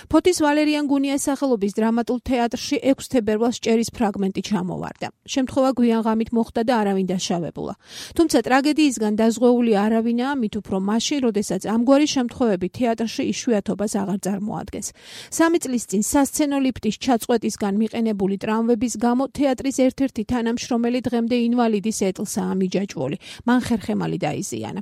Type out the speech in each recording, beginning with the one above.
ფოთის ვალერიან გუნიას სახელობის დრამატულ თეატრში 6 თებერვალს ჭერის ფრაგმენტი ჩამოვარდა. შემთხვევა გვიან ღამით მოხდა და არავინ დაშავებულა. თუმცა ტრაგედიისგან დაზღვეული არავინაა, მით უფრო მაშინ, როდესაც ამგვარი შემთხვევები თეატრში იშვიათობას აღარ წარმოადგენს. 3 წლის წინ სასცენო ლიფტის ჩაწყვეტისგან მიყენებული ტრამვების გამო თეატრის ერთ-ერთი თანამშრომელი დღემდე ინვალიდის ეტლსაა მიჯაჭვული. მან ხერხემალი დაიზიანა.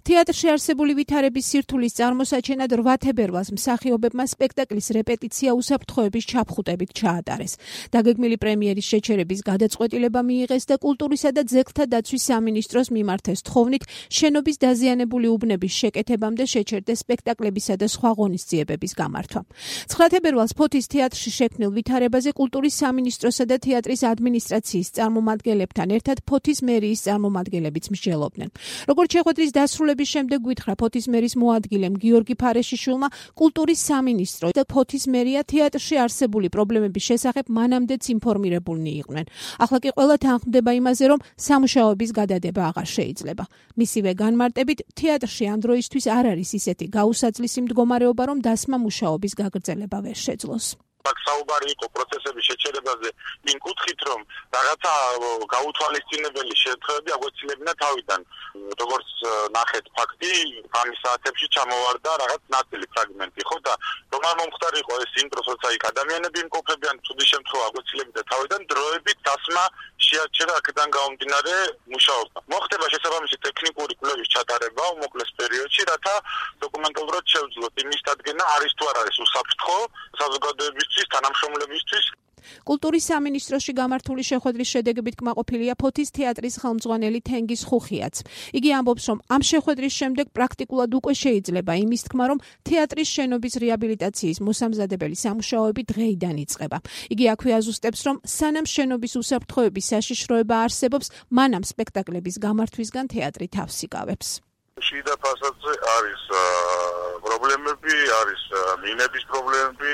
თეატრში არსებული ვითარების სირთულის წარმოსაჩენად 8 თებერვალს მსახიობებმა სპექტაკლის რეპეტიცია უსაფრთხოების ჩაფხუტებით ჩაატარეს. დაგეგმილი პრემიერის შეჩერების გადაწყვეტილება მიიღეს და კულტურისა და ძეგლთა დაცვის სამინისტროს მიმართეს თხოვნით შენობის დაზიანებული უბნების შეკეთებამდე შეჩერდეს სპექტაკლებისა და სხვა ღონისძიებების გამართვა. 9 თებერვალს ფოთის თეატრში შექმნილ ვითარებაზე კულტურის სამინისტროსა და თეატრის ადმინისტრაციის წარმომადგენლებთან ერთად ფოთის მერიის წარმომადგენლებიც მსჯელობდნენ. როგორც შეხვედრის დასრულების შემდეგ გვითხრა ფოთის მერის მოადგილემ გიორგი ფარეშიშვილმა, კულტურის სამინისტრო და ფოთის მერია თეატრში არსებული პრობლემების შესახებ მანამდეც ინფორმირებულნი იყვნენ. ახლა კი ყველა თანხმდება იმაზე, რომ სამუშაოების გადადება აღარ შეიძლება. მისივე განმარტებით, თეატრში ამ დროისთვის არ არის ისეთი გაუსაძლისი მდგომარეობა, რომ დასმა მუშაობის გაგრძელება ვერ შეძლოს. საუბარი იყო პროცესების შეჩერებაზე იმ კუთხით, რომ რაღაცა გაუთვალისწინებელი შეთხოვები აგვეცილებინა თავიდან. როგორც ნახეთ ფაქტი, ამის საათებში ჩამოვარდა რაღაც ნაწილი ფრაგმენტი, ხო და რომ არ მომხდარიყო ეს იმ დროს, როცა იქ ადამიანები იმყოფებიან, ცუდი შემთხვევა აგვეცილებდა თავიდან, დროებით დასმა შეაჩერა აქედან გამომდინარე მუშაობა. მოხდება შესაბამისი ტექნიკური კვლევის ჩატარება უმოკლეს პერიოდში, რათა დოკუმენტალურად შევძლოთ იმის დადგენა არის თუ არ არის უსაფრთხო საზოგადოებისთვის, თანამშრომლებისთვის. კულტურის სამინისტროში გამართული შეხვედრის შედეგებით კმაყოფილია ფოთის თეატრის ხელმძღვანელი თენგიზ ხუხიაც. იგი ამბობს, რომ ამ შეხვედრის შემდეგ პრაქტიკულად უკვე შეიძლება იმის თქმა, რომ თეატრის შენობის რეაბილიტაციის მოსამზადებელი სამუშაოები დღეიდან იწყება. იგი აქვე აზუსტებს, რომ სანამ შენობის უსაფრთხოების საშიშროება არსებობს, მანამ სპექტაკლების გამართვისგან თეატრი თავს იკავებს. შიდა ფასადზე არის პრობლემები, არის მინების პრობლემები,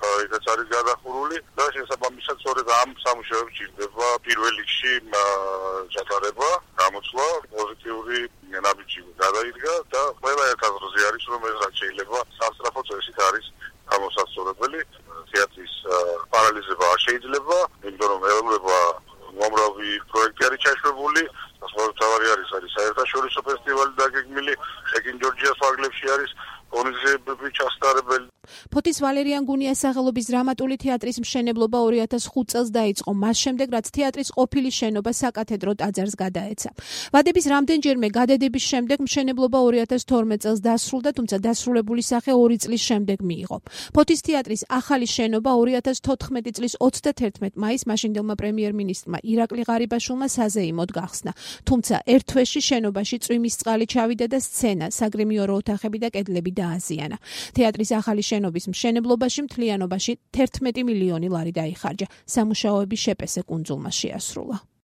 იქაც არის გადახურული და შესაბამისად სწორედ ამ სამუშაოებს ჭირდება პირველ რიგში ჩატარება, გამოცვლა, პოზიტიური ნაბიჯი გადაიდგა და ყველა აზრზე არის, რომ ეს რაც შეიძლება სასწრაფო წესით არის გამოსასწორებელი. თეატრის პარალიზება არ შეიძლება, იმიტომ რომ ეულება უამრავი პროექტი არის ჩაშვებული, თავარი არის საერთაშორისო ფესტივალი დაგეგმილი, შეკინ ჯორჯიას ფარგლებში არის ღონისძიებები ჩასტარებელი. ფოთის ვალერიან გუნიას სახელობის დრამატული თეატრის მშენებლობა 2005 წელს დაიწყო, მას შემდეგ რაც თეატრის ყოფილი შენობა საკათედრო ტაძარს გადაეცა. ვადების რამდენჯერმე გადადების შემდეგ მშენებლობა 2012 წელს დასრულდა, თუმცა დასრულებული სახე 2 წლის შემდეგ მიიღო. ფოთის თეატრის ახალი შენობა 2014 წლის 31 მაისს მაშინდელმა პრემიერ-მინისტრმა ირაკლი ღარიბაშვილმა საზეიმოდ გახსნა. თუმცა ერთ თვეში შენობაში წვიმის წყალი ჩავიდა და სცენა, საგრიმიორო ოთახები და კედლები დააზიანა. თეატრის ახალი შენობის მშენებლობაში მთლიანობაში 11 მილიონი ლარი დაიხარჯა. სამუშაოები შეპესე კუნძულმა შეასრულა.